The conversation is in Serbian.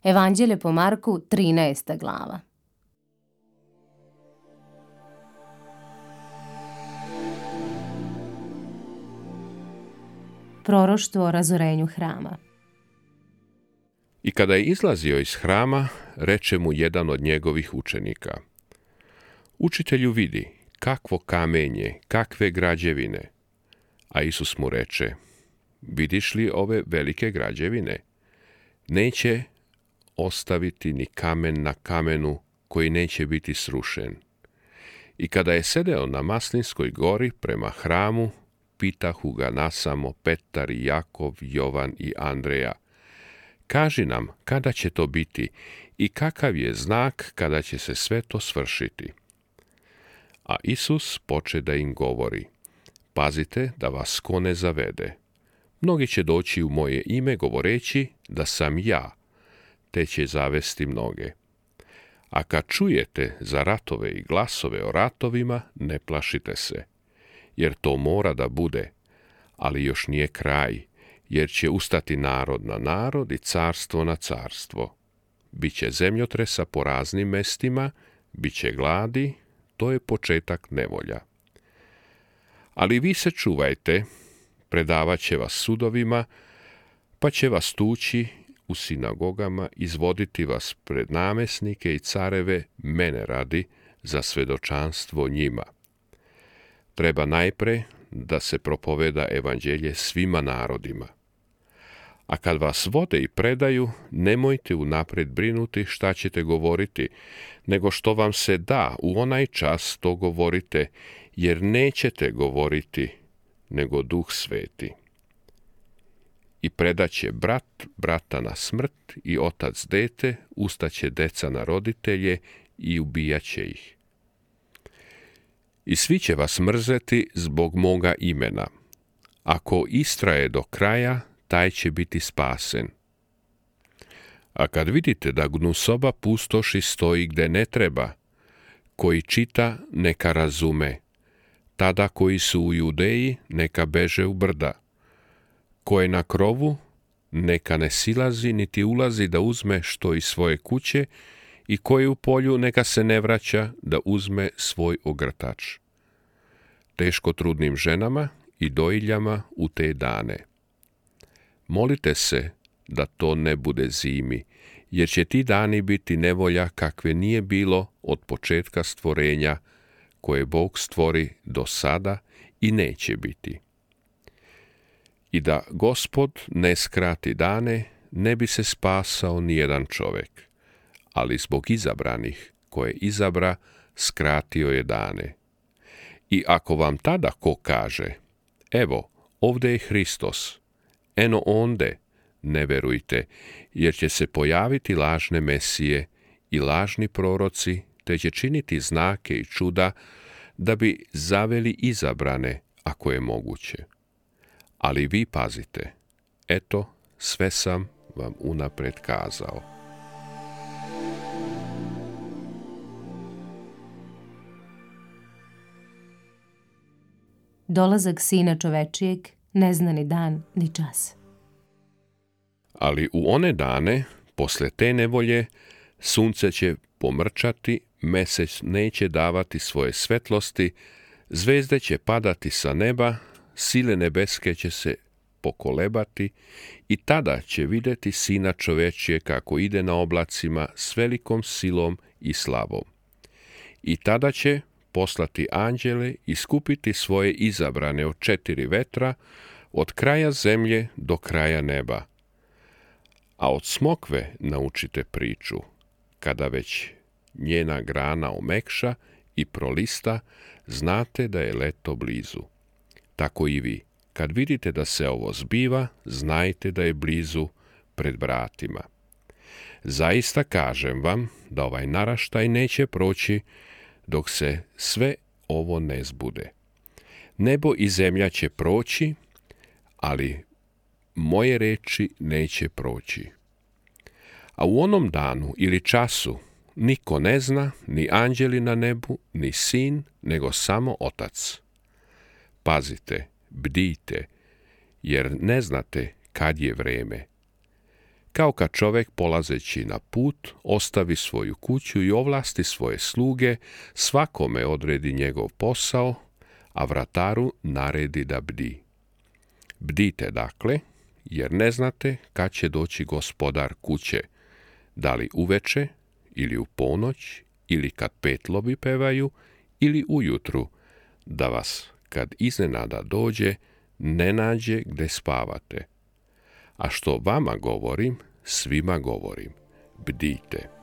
Evanđelje po Marku, 13. glava. Proroštvo o razorenju hrama. I kada je izlazio iz hrama, reče mu jedan od njegovih učenika: Učitelju, vidi, kakvo kamenje, kakve građevine. A Isus mu reče: Vidiš li ove velike građevine? Neće ostaviti ni kamen na kamenu koji neće biti srušen. I kada je sedeo na Maslinskoj gori prema hramu, pitahu ga nasamo Petar i Jakov, Jovan i Andreja: Kaži nam, kada će to biti i kakav je znak kada će se sve to svršiti? A Isus poče da im govori: Pazite da vas ko ne zavede. Mnogi će doći u moje ime govoreći da sam ja, te će zavesti mnoge. A kad čujete za ratove i glasove o ratovima, ne plašite se, jer to mora da bude, ali još nije kraj, jer će ustati narod na narod i carstvo na carstvo. Biće zemljotresa po raznim mestima, biće gladi, to je početak nevolja. Ali vi se čuvajte, predavat će vas sudovima, pa će vas tući u sinagogama, izvoditi vas pred namesnike i careve mene radi za svedočanstvo njima. Treba najpre da se propoveda evanđelje svima narodima. A kad vas vode i predaju, nemojte unaprijed brinuti šta ćete govoriti, nego što vam se da u onaj čas to govorite, jer nećete govoriti, nego Duh Sveti. I predaće brat brata na smrt i otac dete, ustaće deca na roditelje i ubijaće ih. I svi će vas mrzeti zbog moga imena. Ako istraje do kraja, taj će biti spasen. A kad vidite da gnusoba pustoši stoji gde ne treba, koji čita neka razume, tada koji su u Judeji neka beže u brda, ko je na krovu neka ne silazi niti ulazi da uzme što iz svoje kuće, i ko je u polju neka se ne vraća da uzme svoj ogrtač. Teško trudnim ženama i dojiljama u te dane. Molite se da to ne bude zimi, jer će ti dani biti nevolja kakve nije bilo od početka stvorenja, koje Bog stvori do sada i neće biti. I da Gospod ne skrati dane, ne bi se spasao nijedan čovek, ali zbog izabranih, koje izabra, skratio je dane. I ako vam tada ko kaže: Evo, ovde je Hristos, eno onde, ne verujte, jer će se pojaviti lažne mesije i lažni proroci, te će činiti znake i čuda, da bi zaveli izabrane, ako je moguće. Ali vi pazite, eto, sve sam vam unapred kazao. Dolazak Sina čovečijeg ne zna ni dan ni čas. Ali u one dane, posle te nevolje, sunce će pomrčati, mesec neće davati svoje svetlosti, zvezde će padati sa neba, sile nebeske će se pokolebati, i tada će videti Sina čovečije kako ide na oblacima s velikom silom i slavom. I tada će poslati anđele i skupiti svoje izabrane od 4 vetra, od kraja zemlje do kraja neba. A od smokve naučite priču, kada već njena grana omekša i prolista, znate da je leto blizu. Tako i vi, kad vidite da se ovo zbiva, znajte da je blizu, pred vratima. Zaista kažem vam da ovaj naraštaj neće proći dok se sve ovo ne zbude. Nebo i zemlja će proći, ali moje reči neće proći. A u onom danu ili času niko ne zna, ni anđeli na nebu, ni sin, nego samo Otac. Pazite, bdijte, jer ne znate kad je vreme. kao kad čovjek polazeći na put ostavi svoju kuću i ovlasti svoje sluge, svakome odredi njegov posao, a vrataru naredi da bdi. Bdite dakle, jer ne znate kad će doći gospodar kuće, da li uveče ili u ponoć, ili kad petlovi pevaju, ili ujutru, da vas, kad iznenada dođe, ne nađe gde spavate. A što vama govorim, svima govorim, bdite.